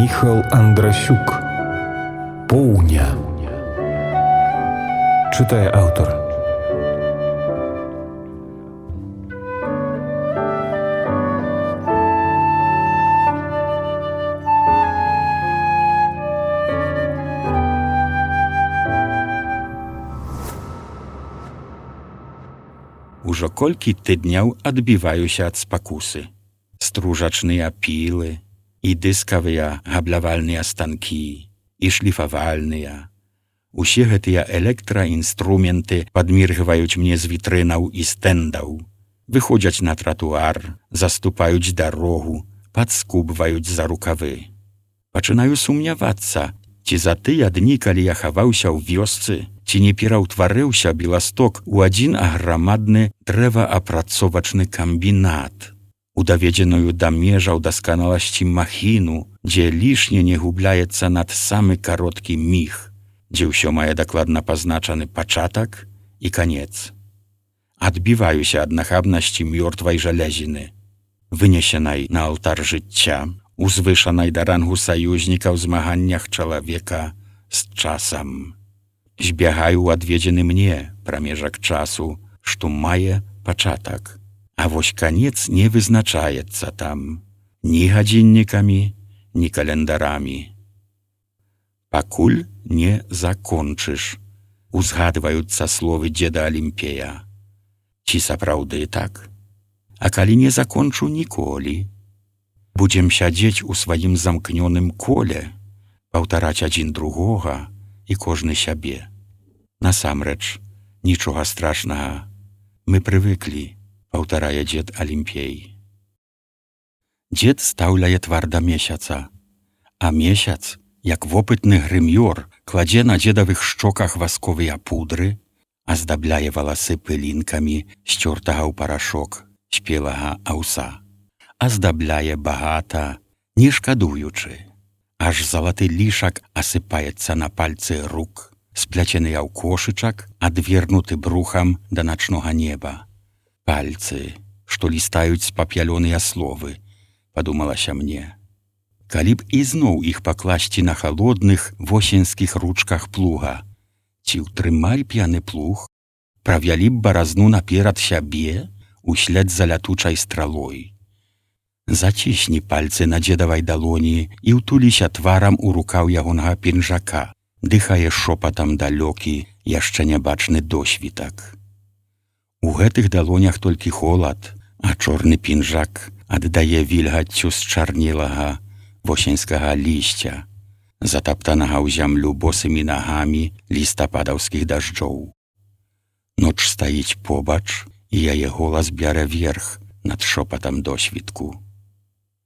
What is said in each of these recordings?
Міхал Андрасюк. Поўня. Чытае аўтар. Ужо колькі тыдняў адбіваюся ад спакусы. Стружачныя пілы, і дыскавыя габлявальныя станкі, і шліфавальныя. Усе гэтыя электраінструменты падміргваюць мне з вітрынаў і стэндаў, выходзяць на тратуар, заступаюць дарогу, падскубваюць за рукавы. Пачынаю сумнявацца, ці за тыя дні, калі я хаваўся ў вёсцы, ці не пераўтварыўся Беласток у адзін аграмадны дрэваапрацовачны камбінат, у даведзеную да межаў дасканаласці махіну, дзе лішне не губляецца над самы кароткі міг, дзе ўсё мае дакладна пазначаны пачатак і канец. Адбіваюся ад нахабнасці мёртвай жалезіны, вынесенай на алтар жыцця, узвышанай да рангу саюзніка ў змаганнях чалавека з часам. Збягаю ў адведзены мне прамежак часу, што мае пачатак, а вось канец не вызначаецца там ні гадзіннікамі, ні календарамі. Пакуль не закончыш, узгадваюцца словы дзеда Алімпея. Ці сапраўды так? А калі не закончу ніколі? Будзем сядзець у сваім замкнёным коле, паўтараць адзін другога і кожны сябе. Насамрэч, нічога страшнага. Мы прывыклі, паўтарае дзед Алімпей. Дзед стаўляе твар да месяца, а месяц, як вопытны грымёр, кладзе на дзедавых шчоках васковыя пудры, аздабляе валасы пылінкамі сцёртага ў парашок спелага аўса. Аздабляе багата, не шкадуючы. Аж залаты лішак асыпаецца на пальцы рук, спляценыя ў кошычак, адвернуты брухам да начнога неба. Пальцы, што лістаюць спапялёныя словы, падумалася мне. Калі б ізноў іх пакласці на халодных восеньскіх ручках плуга, ці ўтрымалі б яны плуг, правялі б баразну наперад сябе услед за лятучай стралой. Зацісні пальцы на дзедавай далоні і ўтуліся тварам у рукаў ягонага пінжака, дыхае шопатам далёкі, яшчэ нябачны досвітак. У гэтых далонях толькі холад, а чорны пінжак аддае вільгаццю счарнелага восеньскага лісця, затаптанага ў зямлю босымі нагамі лістападаўскіх дажджоў. Ноч стаіць побач, і яе голас бярэ верх над шопатам досвітку.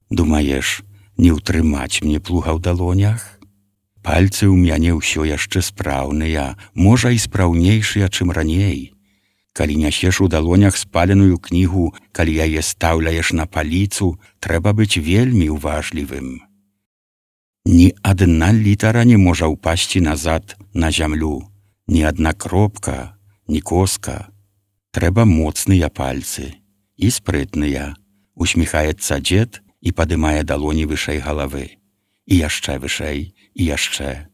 Думаеш, не ўтрымаць мне плуга ў далонях? Пальцы ў мяне ўсё яшчэ спраўныя, можа і спраўнейшыя, чым раней. Калі нясеш у далонях спаленую кнігу, калі яе стаўляеш на паліцу, трэба быць вельмі уважлівым. Ні адна літара не можа ўпасці назад на зямлю, ні адна кропка, ні коска. Трэба моцныя пальцы і спрытныя, усміхаецца дзед і падымае далоні вышэй галавы. І яшчэ вышэй, і яшчэ.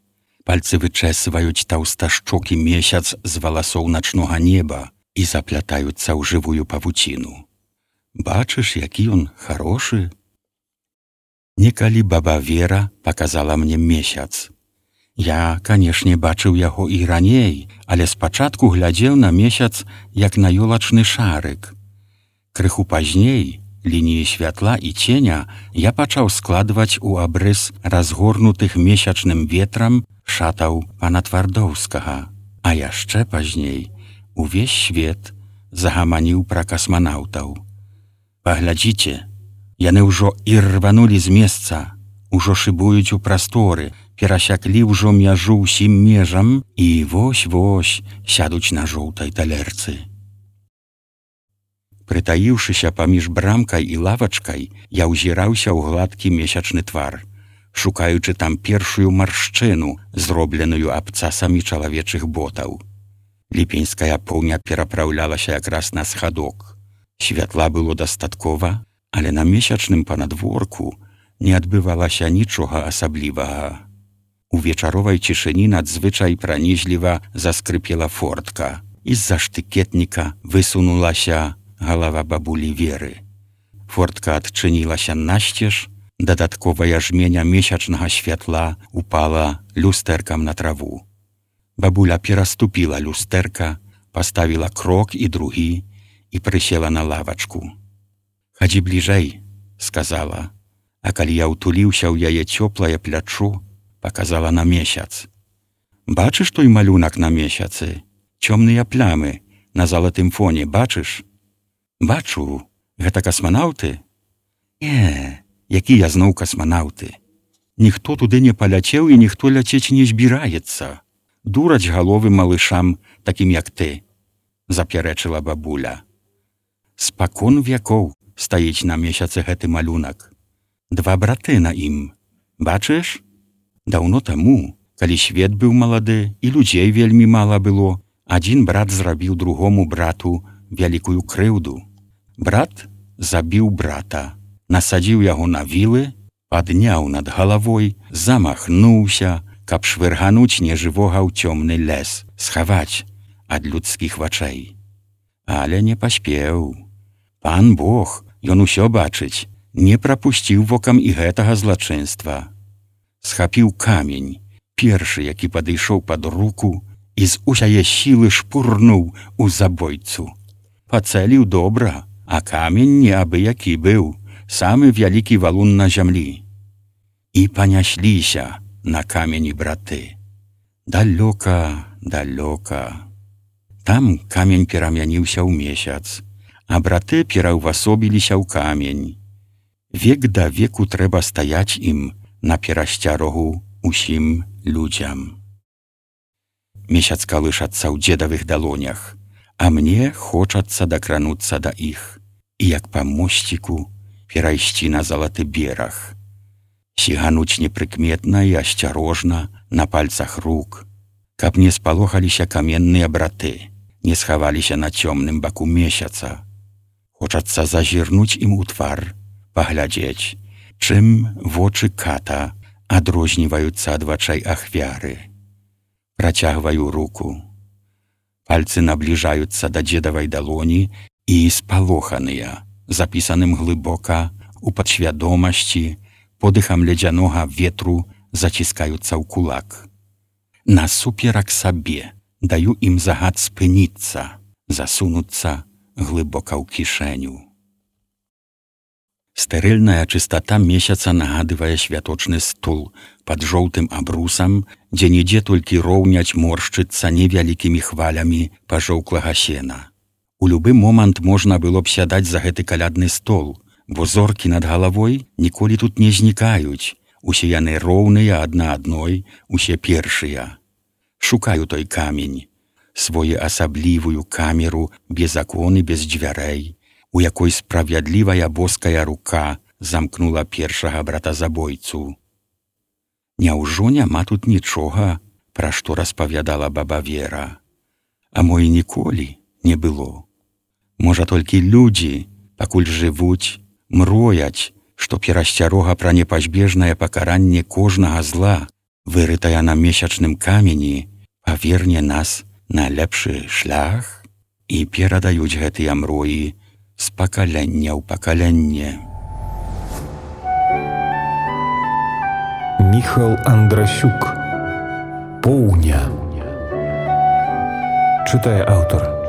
Пальцы вычэсваюць таўсташчокі месяц з валасоў начнога неба і заплятаюцца ў жывую павуціну. Бачыш, які ён харошы? Некалі баба Вера паказала мне месяц. Я, канешне, бачыў яго і раней, але спачатку глядзеў на месяц, як на ёлачны шарык. Крыху пазней, лініі святла і ценя, я пачаў складваць у абрыс разгорнутых месячным ветрам шатаў пана Твардоўскага. А яшчэ пазней увесь свет загаманіў пра касманаўтаў. Паглядзіце, яны ўжо і рванулі з месца, ужо шыбуюць у прасторы, перасяклі ўжо мяжу ўсім межам і вось-вось сядуць на жоўтай талерцы. Прытаіўшыся паміж брамкай і лавачкай, я ўзіраўся ў гладкі месячны твар, шукаючы там першую маршчыну, зробленую абцасамі чалавечых ботаў. Ліпеньская поўня перапраўлялася якраз на схадок. Святла было дастаткова, але на месячным панадворку не адбывалася нічога асаблівага. У вечаровай цішыні надзвычай пранізліва заскрыпела фортка. З-за штыкетніка высунулася галава бабулі Веры. Фортка адчынілася насцеж, дадатковая жменя месячнага святла упала люстэркам на траву. Бабуля пераступіла люстэрка, паставіла крок і другі і прысела на лавачку. «Хадзі бліжэй», — сказала, а калі я ўтуліўся ў яе цёплае плячо, паказала на месяц. «Бачыш той малюнак на месяцы? Цёмныя плямы на залатым фоне, бачыш?» «Бачу. Гэта касманаўты?» «Не, якія зноў касманаўты? Ніхто туды не паляцеў і ніхто ляцець не збіраецца. Дураць галовы малышам, такім як ты», — запярэчыла бабуля. «Спакон вякоў стаіць на месяцы гэты малюнак. 2 браты на ім. Бачыш? Даўно таму, калі свет быў малады і людзей вельмі мала было, адзін брат зрабіў другому брату вялікую крыўду. Брат забіў брата, насадзіў яго на вілы, падняў над галавой, замахнуўся, каб швыргануць нежывога ў цёмны лес, схаваць ад людскіх вачэй. Але не паспеў. Пан Бог, ён усё бачыць, не прапусціў вокам і гэтага злачынства. Схапіў камень, першы, які падышоў пад руку, і з усяе сілы шпурнуў у забойцу. Пацэліў добра, а камень не абы-які быў, самы вялікі валун на зямлі. І панясліся на камені браты. Далёка, далёка. Там камень перамяніўся ў месяц, а браты пераўвасобіліся ў камень. Век да веку трэба стаяць ім на перасцярогу усім людзям. Месяц калышацца ў дзедавых далонях, а мне хочацца дакрануцца да іх і як па мосціку перайсці на залаты бераг. Сігануць непрыкметна і асцярожна на пальцах рук, каб не спалохаліся каменныя браты, не схаваліся на цёмным баку месяца. Хочацца зазірнуць ім у твар, паглядзець, чым вочы ката адрозніваюцца ад вачэй ахвяры. Працягваю руку. Пальцы набліжаюцца да дзедавай далоні і спалоханыя, запісаным глыбока у падсвядомасці, подыхам ледзянога ветру заціскаюцца ў кулак. Насуперак сабе даю ім загад спыніцца, засунуцца глыбока ў кішэню. Стэрыльная чыстата месяца нагадывае святочны стол пад жоўтым абрусам, дзе нідзе толькі роўняць моршчыцца невялікімі хвалямі пажоўклага сена. У любы момант можна было б сядаць за гэты калядны стол, бо зоркі над галавой ніколі тут не знікаюць, усе яны роўныя адна адной, усе першыя. Шукаю той камень, своеасаблівую камеру без акон і без дзвярэй, у якой справядлівая боская рука замкнула першага братазабойцу. Няўжо няма тут нічога, пра што распавядала баба Вера? А мо і ніколі не было. Можа, толькі людзі, пакуль жывуць, мрояць, што перасцярога пра непазбежнае пакаранне кожнага зла, вырытая на месячным камені, паверне нас на лепшы шлях і перадаюць гэтыя мроі з пакалення ў пакаленне. Міхал Андрасюк. Поўня. Чытае аўтар.